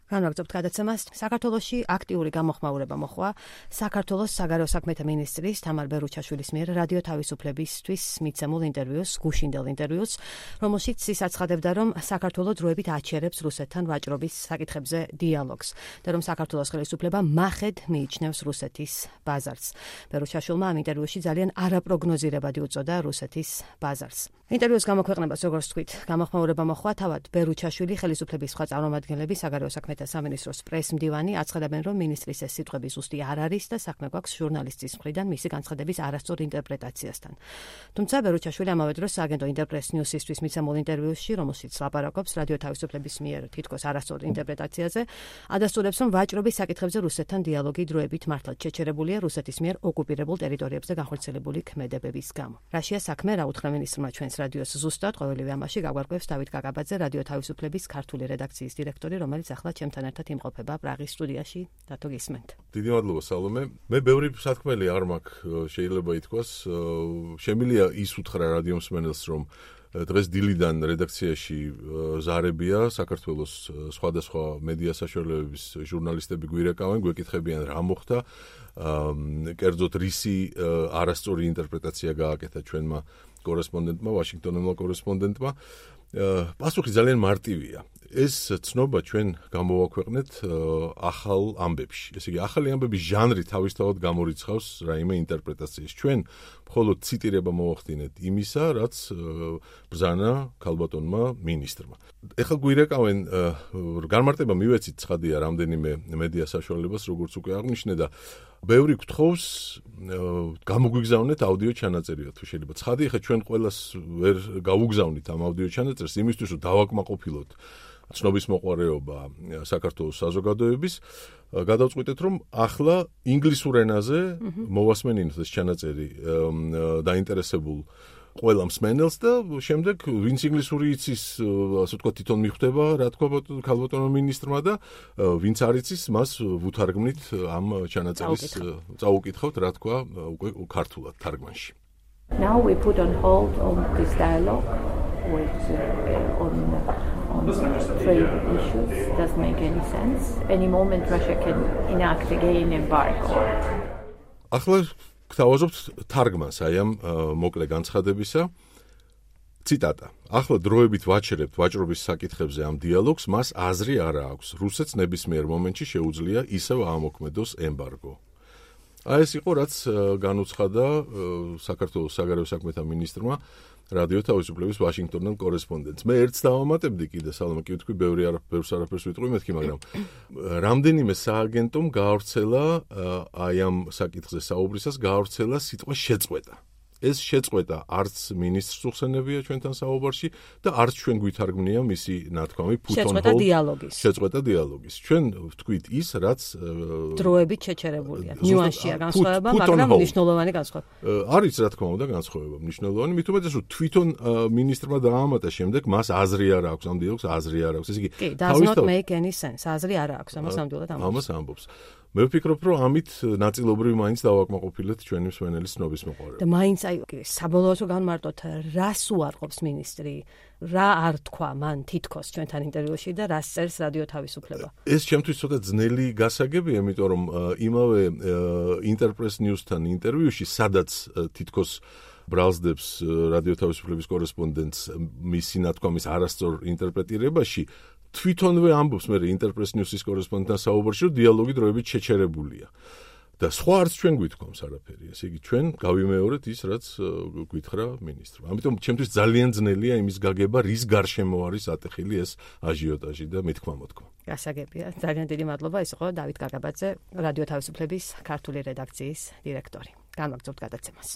განვაგრძობთ გადაცემას. საქართველოში აქტიური გამოხმაურება მოხდა საქართველოს საგარეო საქმეთა მინისტრის თამარ ბერუჩაშვილის მიერ რადიო თავისუფლებისთვის მიცემულ ინტერვიუს, გუშინდელ ინტერვიუს, რომელშიც ის აცხადებდა, რომ საქართველო დროებით აჩერებს რუსეთთან ვაჭრობის საკითხებზე დიალოგს და რომ საქართველოს ხელისუფლება მახედ მიიჩნევს რუსეთის ბაზარს. ბერუჩაშვილმა ამ ინტერვიუში ძალიან არაპროგნოზირებადი უწოდა რუსეთის ბაზარს. ინტერვიუს გამოქვეყნებას, როგორც თქვით, გამოხმაურება მოხდა თავად ბერუჩაშვილი ხელისუფლების სხვა წარმომადგენლები საგარეო საქმეთა სამინისტროს პრესმდივანი აცხადებენ, რომ მინისტრის ეს სიტყვები ზუსტი არ არის და საქმე გვაქვს ჟურნალისტის მხრიდან მისი განცხადების არასწორ ინტერპრეტაციასთან. თუმცა ბერუჩაშვილი ამავე დროს სააგენტო ინტერპრეს ნიუსისთვის მიცემულ ინტერვიუში, რომელშიც ლაპარაკობს რადიო თავისუფლების მიერ თითქოს არასწორ ინტერპრეტაციაზე, ადასტურებს, რომ ვაჭრობის საკითხებზე რუსეთთან დიალოგი დროებით მართლაც შეჩერებულია რუსეთის მიერ ოკუპირებულ ტერიტორიებზე განხორციელებული ქმედებების გამო. რაშია საქმე, რა უთხრა მინისტრმა ჩვენს რადიოს ზუსტად, ყოველივე ამაში გაგვარკვევს დავით გაგაბაძე, რადიო თავისუფლების ქართული რედაქციის დირექტორი, რომელიც ახლა ჩემთან ერთად იმყოფება პრაღის სტუდიაში. რატო გისმენთ? დიდი მადლობა, სალომე. მე ბევრი სათქმელი არ მაქვს, შეიძლება ითქვას. შემიძლია ის უთხრა რადიო მსმენელს, რომ დღეს დილიდან რედაქციაში ზარებია საქართველოს სხვადასხვა მედია საშუალებების ჟურნალისტები გვირეკავენ, გვეკითხებიან რა მოხდა, კერძოდ რისი არასწორი ინტერპრეტაცია გააკეთა ჩვენმა კორესპონდენტმა, ვაშინგტონელმა კორესპონდენტმა. პასუხი ძალიან მარტივია. ეს ცნობა ჩვენ გამოვაქვეყნეთ ახალ ამბებში. ესე იგი, ახალი ამბების ჟანრი თავისთავად გამორიცხავს რაიმე ინტერპრეტაციის. ჩვენ მხოლოდ ციტირება მოვახდინეთ იმისა, რაც ბრძანა ქალბატონმა მინისტრმა. ეხლა გვირეკავენ, განმარტება მივეცით, ცხადია, რამდენიმე მედია საშუალებას, როგორც უკვე აღნიშნე და ბევრი გთხოვს გამოგვიგზავნეთ აუდიო ჩანაწერი, თუ შეიძლება. ცხადია, ხა ჩვენ ყველას ვერ გავუგზავნით ამ აუდიო ჩანაწერს, იმისთვის, რომ დავაკმაყოფილოთ ცნობის მოყვარეობა საქართველოს საზოგადოების, გადავწყვიტეთ, რომ ახლა ინგლისურ ენაზე მოვასმენინოთ ეს ჩანაწერი დაინტერესებულ ყველა მსმენელს და შემდეგ ვინც ინგლისური იცის, ასე ვთქვათ, თვითონ მიხვდება, რა თქვა ქალბატონმა მინისტრმა და ვინც არ იცის, მას ვუთარგმნით ამ ჩანაწერის, წაუკითხავთ, რა თქვა უკვე ქართულად თარგმანში. Now we put on hold on this dialogue with on trade issues. Doesn't make any sense. Any moment Russia can enact again embargo. ახლა გთავაზობთ თარგმანს აი ამ მოკლე განცხადებისა. ციტატა. ახლა დროებით ვაჩერებთ ვაჭრობის საკითხებზე ამ დიალოგს, მას აზრი არ აქვს. რუსეთს ნებისმიერ მომენტში შეუძლია ისევ აამოქმედოს ემბარგო. აი ეს იყო, რაც განუცხადა საქართველოს საგარეო საქმეთა მინისტრმა რადიო თავისუფლების ვაშინგტონელ კორესპონდენტს. მე ერთს დავამატებდი კიდე, სალომე, კი ვთქვი, ბევრს არაფერს ვიტყვი მეთქი, მაგრამ რამდენიმე სააგენტომ გაავრცელა აი ამ საკითხზე საუბრისას გაავრცელა სიტყვა შეწყვეტა. ეს შეწყვეტა არც მინისტრს უხსენებია ჩვენთან საუბარში და არც ჩვენ გვითარგმნია მისი ნათქვამი შეწყვეტა დიალოგის. შეწყვეტა დიალოგის. ჩვენ ვთქვით ის, რაც დროებით შეჩერებულია. ნიუანსია განსხვავება, მაგრამ მნიშვნელოვანი განსხვავება. არის, რა თქმა უნდა, განსხვავება მნიშვნელოვანი, მით უმეტეს, რომ თვითონ მინისტრმა დაამატა შემდეგ, მას აზრი არ აქვს, ამ დიალოგს აზრი არ აქვს. ესე იგი, does not make any sense. აზრი არ აქვს, ამას ნამდვილად ამბობს. ამას ამბობს. მე ვფიქრობ, რომ ამით ნაწილობრივ მაინც დავაკმაყოფილეთ ჩვენი მსმენელის ცნობის მოყვარეობა. და მაინც აი საბოლოოდ განმარტოთ, რას უარყოფს მინისტრი, რა არ თქვა მან თითქოს ჩვენთან ინტერვიუში და რას წერს რადიო თავისუფლება. ეს ჩემთვის ცოტა ძნელი გასაგებია, იმიტომ რომ იმავე ინტერპრეს ნიუსთან ინტერვიუში, სადაც თითქოს ბრალსდებს რადიო თავისუფლების კორესპონდენტს მისი ნათქვამის არასწორ ინტერპრეტირებაში, თვითონვე ამბობს მე ინტერპრეს ნიუსის კორესპონდენტთან საუბარში, რომ დიალოგი დროებით შეჩერებულია. და სხვა არც ჩვენ გვითქვამს არაფერი. ესე იგი, ჩვენ გავიმეორეთ ის, რაც გითხრა მინისტრმა. ამიტომ ჩემთვის ძალიან ძნელია იმის გაგება, რის გარშემო არის ატეხილი ეს აჟიოტაჟი და მithქმა-მოთქმა. გასაგებია. ძალიან დიდი მადლობა. ეს იყო დავით გაგაბაძე, რადიო თავისუფლების ქართული რედაქციის დირექტორი. განვაგრძობთ გადაცემას.